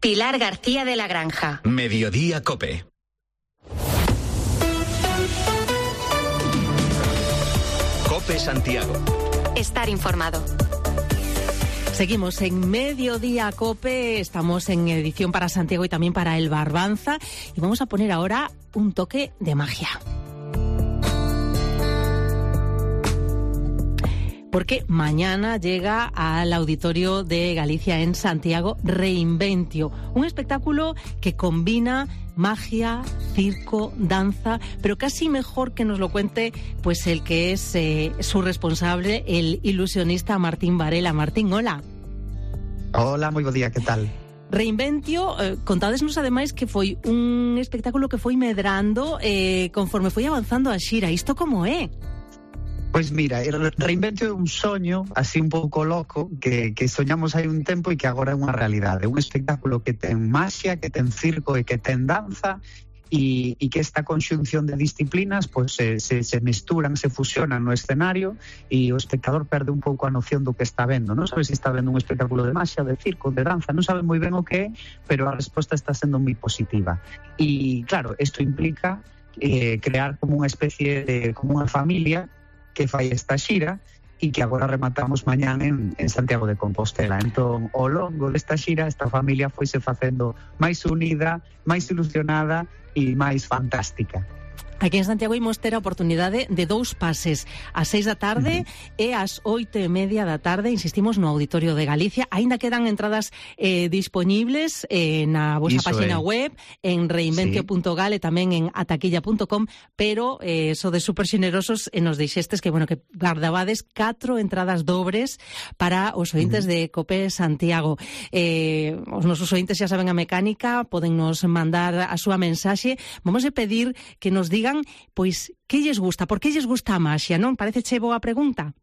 Pilar García de la Granja. Mediodía COPE. COPE Santiago. Estar informado. Seguimos en Mediodía COPE, estamos en edición para Santiago y también para el Barbanza y vamos a poner ahora un toque de magia. Porque mañana llega al Auditorio de Galicia en Santiago Reinventio, un espectáculo que combina magia, circo, danza, pero casi mejor que nos lo cuente pues el que es su responsable, el ilusionista Martín Varela. Martín, hola. Hola, moi bo día, que tal? Reinventio, contádesnos ademais que foi un espectáculo que foi medrando conforme foi avanzando a xira. Isto como é? Pois mira, Reinventio é un soño así un pouco loco que soñamos hai un tempo e que agora é unha realidade. Un espectáculo que ten maxia, que ten circo e que ten danza e que esta conxunción de disciplinas pois se mesturan, se fusionan no escenario e o espectador perde un pouco a noción do que está vendo. Non sabe se está vendo un espectáculo de maxia, de circo, de danza, non sabe moi ben o que é, pero a resposta está sendo moi positiva. E claro, isto implica crear como unha especie de, como unha familia que fai esta xira e que agora rematamos mañán en Santiago de Compostela. Entón, ao longo desta xira, esta familia foise facendo máis unida, máis ilusionada e máis fantástica. Aquí en Santiago imos ter a oportunidade de 2 pases, ás 6 da tarde e ás 8:30 da tarde, insistimos, no Auditorio de Galicia. Aínda quedan entradas dispoñibles na vosa página web, en reinventio.gal e tamén en ataquilla.com, pero sodes super xenerosos e nos deixestes que, bueno, que guardabades 4 entradas dobres para os ointes de COPE Santiago. Os nosos ointes xa saben a mecánica, podennos mandar a súa mensaxe. Vamos a pedir que nos digan pois que lles gusta, por que lles gusta a maxia, non? Pareceche boa pregunta?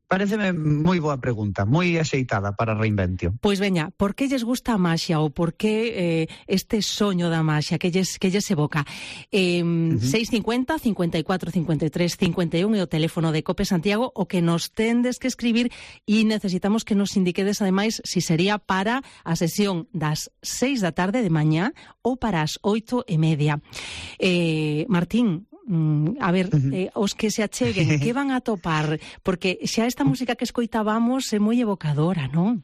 Pareceme moi boa pregunta, moi axeitada para Reinventio. Pois veña, por que lles gusta a maxia ou por que este soño da maxia que lles evoca? 650 54 53 51 é o teléfono de COPE Santiago, o que nos tendes que escribir e necesitamos que nos indiquedes ademais si sería para a sesión das 6 da tarde de mañá ou para as 8:30. Martín, a ver, os que se acheguen, que van a topar? Porque xa esta música que escoitábamos é moi evocadora, non?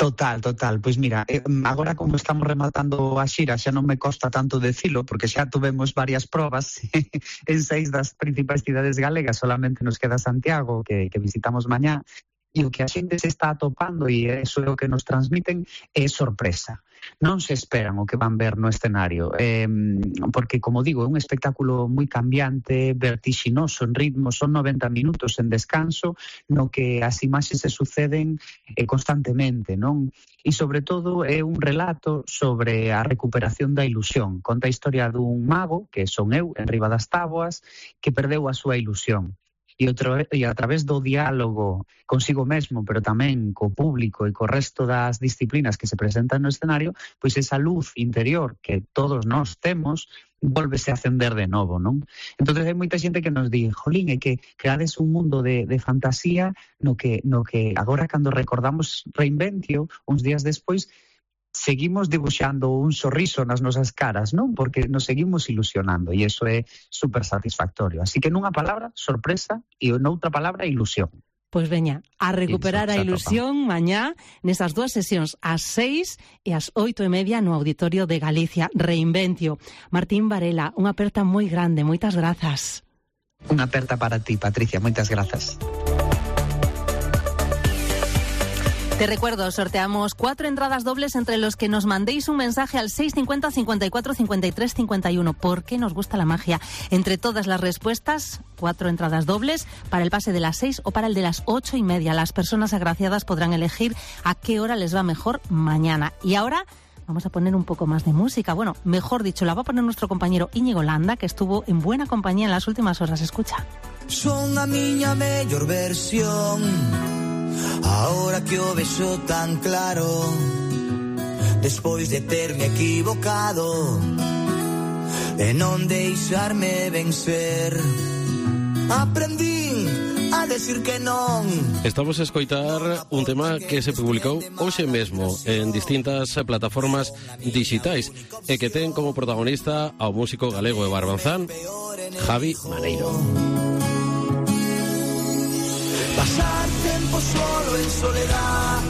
Total. Pois mira, agora como estamos rematando a xira xa non me costa tanto decilo, porque xa tuvemos varias probas en 6 das principais cidades galegas, solamente nos queda Santiago, que visitamos mañá, e o que a xente se está atopando, e eso é o que nos transmiten, é sorpresa. Non se esperan o que van ver no escenario, porque, como digo, é un espectáculo moi cambiante, vertixinoso en ritmo, son 90 minutos en descanso, no que as imaxes se suceden constantemente, non? E, sobre todo, é un relato sobre a recuperación da ilusión. Conta a historia dun mago, que son eu, en riba das táboas, que perdeu a súa ilusión. E a través do diálogo consigo mesmo, pero tamén co público e co resto das disciplinas que se presentan no escenario, pois esa luz interior que todos nós temos volvese a acender de novo, non? Entón hai moita xente que nos di, jolín, é que creades un mundo de fantasía no que agora cando recordamos Reinventio, uns días despois, seguimos dibuixando un sorriso nas nosas caras, non? Porque nos seguimos ilusionando e iso é super satisfactorio. Así que nunha palabra, sorpresa, e noutra palabra, ilusión. Pois veña, a recuperar a ilusión mañá nesas 2 sesións, ás 6 e ás 8:30 no Auditorio de Galicia, Reinventio. Martín Varela, unha aperta moi grande, moitas grazas. Unha aperta para ti, Patricia, moitas grazas. Te recuerdo, sorteamos 4 entradas dobles entre los que nos mandéis un mensaje al 650 54 53 51. ¿Por qué nos gusta la magia? Entre todas las respuestas, 4 entradas dobles para el pase de las 6 o para el de las 8:30. Las personas agraciadas podrán elegir a qué hora les va mejor mañana. Y ahora vamos a poner un poco más de música. Bueno, mejor dicho, la va a poner nuestro compañero Íñigo Landa, que estuvo en buena compañía en las últimas horas. Escucha. Son a miña mellor versión, ahora que o vexo tan claro, despois de terme equivocado e non deixarme vencer, aprendín a a decir que non. Estamos a escoitar un tema que se publicou hoxe mesmo en distintas plataformas digitais e que ten como protagonista ao músico galego de Barbanzán, Javi Maneiro. Pasar tiempo solo en soledad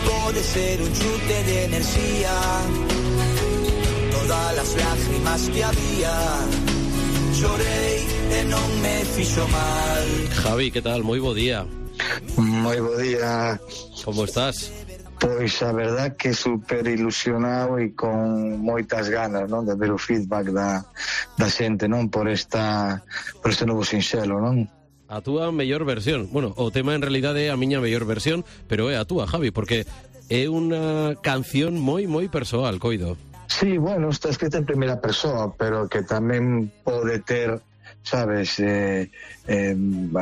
puede ser un chute de energía. Todas las lágrimas que había llorei e non me fixo mal. Javi, que tal? Moi bo día. Moi bo día. Como estás? Pois a verdad que super ilusionado e con moitas ganas, non, de ver o feedback da xente, non, por este novo sinxelo, non? A túa mellor versión. Bueno, o tema en realidade é a miña mellor versión, pero é a túa, Javi, porque é unha canción moi persoal, coido. Sí, bueno, está escrita en primeira persoa, pero que tamén pode ter, sabes, hai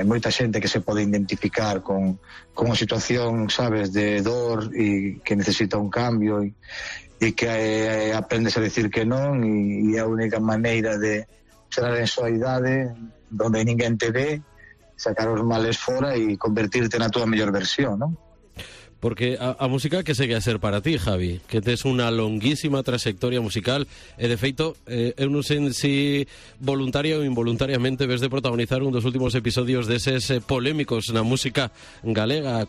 moita xente que se pode identificar con unha situación, sabes, de dor e que necesita un cambio e que aprendes a decir que non e a única maneira de chegar en soidade donde ninguén te ve, sacar os males fora e convertirte na túa mellor versión, non? Porque a música que segue a ser para ti, Javi, que tes unha longuísima trayectoria musical e de feito eu non sei se voluntaria ou involuntariamente ves de protagonizar un dos últimos episodios deses polémicos na música galega a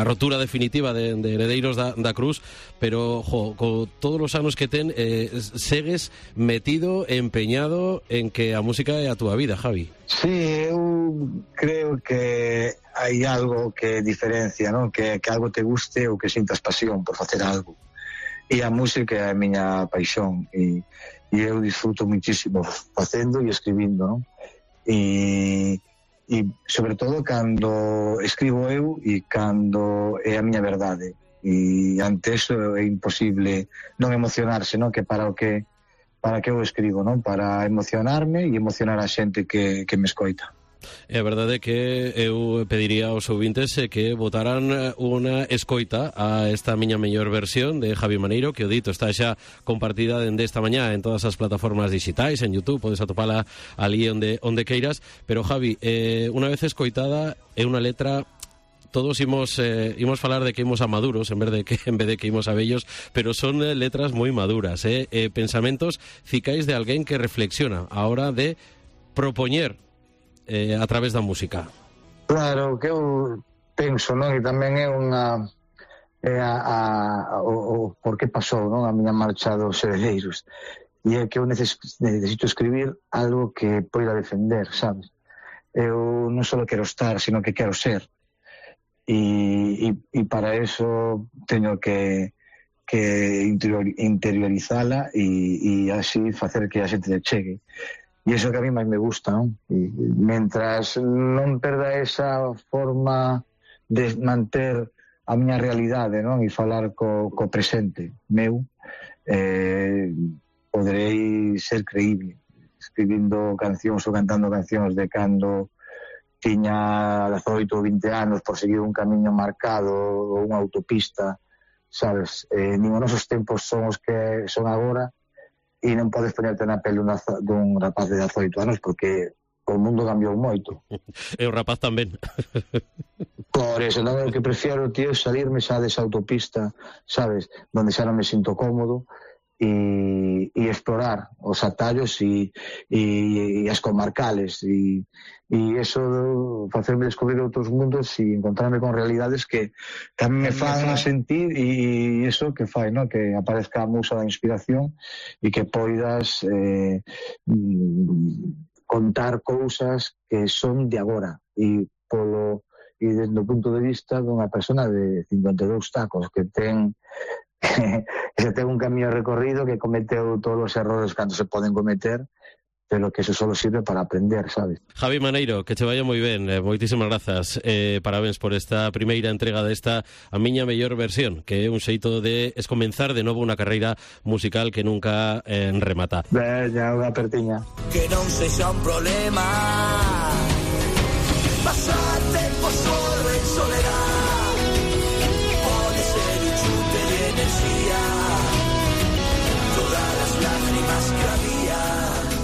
rotura definitiva de Heredeiros da Cruz, pero co todos os anos que ten segues metido, empeñado en que a música é a túa vida, Javi. Sí, eu creo que hai algo que diferencia, non? Que algo te guste ou que sintas pasión por facer algo. E a música é a miña paixón e eu disfruto muchísimo facendo e escribindo, non? E sobre todo cando escribo eu e cando é a miña verdade. E ante eso é imposible non emocionarse, non? Que para que eu escribo, non? Para emocionarme e emocionar a xente que me escoita. É a verdade que eu pediría aos ouvintes que votaran unha escoita a esta miña mellor versión de Javi Maneiro, que o dito está xa compartida dende esta mañá en todas as plataformas digitais, en YouTube, podes atopala ali onde queiras, pero Javi, unha vez escoitada é unha letra. Todos imos falar de que imos a maduros en vez de que imos a vellos, pero son letras moi maduras, pensamentos cicais de alguén que reflexiona a hora de propoñer a través da música. Claro, que eu penso, non? E tamén é unha o por que pasou, non? A miña marcha dos Heredeiros. E é que eu necesito escribir algo que poida defender, sabes? Eu non só quero estar, sino que quero ser. E para eso teño que interiorizala e así facer que a xente chegue. E iso que a mí máis me gusta, non? E mentras non perda esa forma de manter a miña realidade, non? E falar co presente meu, poderei ser creíble escribindo cancións ou cantando cancións de cando tiña 18 ou 20 anos por seguir un camiño marcado ou unha autopista, sabes? Nin os nosos tempos son os que son agora e non podes ponerte na pele dun rapaz de 18 anos porque o mundo cambiou moito. E o rapaz tamén. Por eso, non, o que prefiero, tío, salirme xa desa autopista, sabes? Donde xa non me sinto cómodo e explorar os atallos e as comarcales e eso, facerme descubrir outros mundos e encontrarme con realidades que tamén me fan sentir e eso que fai, ¿no? Que aparezca a musa da inspiración e que poidas contar cousas que son de agora e desde o punto de vista dunha persona de 52 tacos que ten un camiño recorrido, que cometeu todos os errores cando se poden cometer, pero que eso solo sirve para aprender, sabes? Javi Maneiro, que che vaya moi ben, moitísimas grazas, parabéns por esta primeira entrega desta a miña mellor versión, que é un xeito de escomenzar de novo unha carreira musical que nunca remata. Veña, unha apertiña. Que non sexa un problema pasar tempo solo en soledad, pode ser un chute de energía, todas las lágrimas que había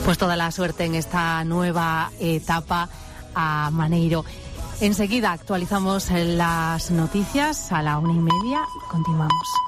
Pues toda la suerte en esta nueva etapa a Maneiro. Enseguida actualizamos las noticias a la 1:30. Continuamos.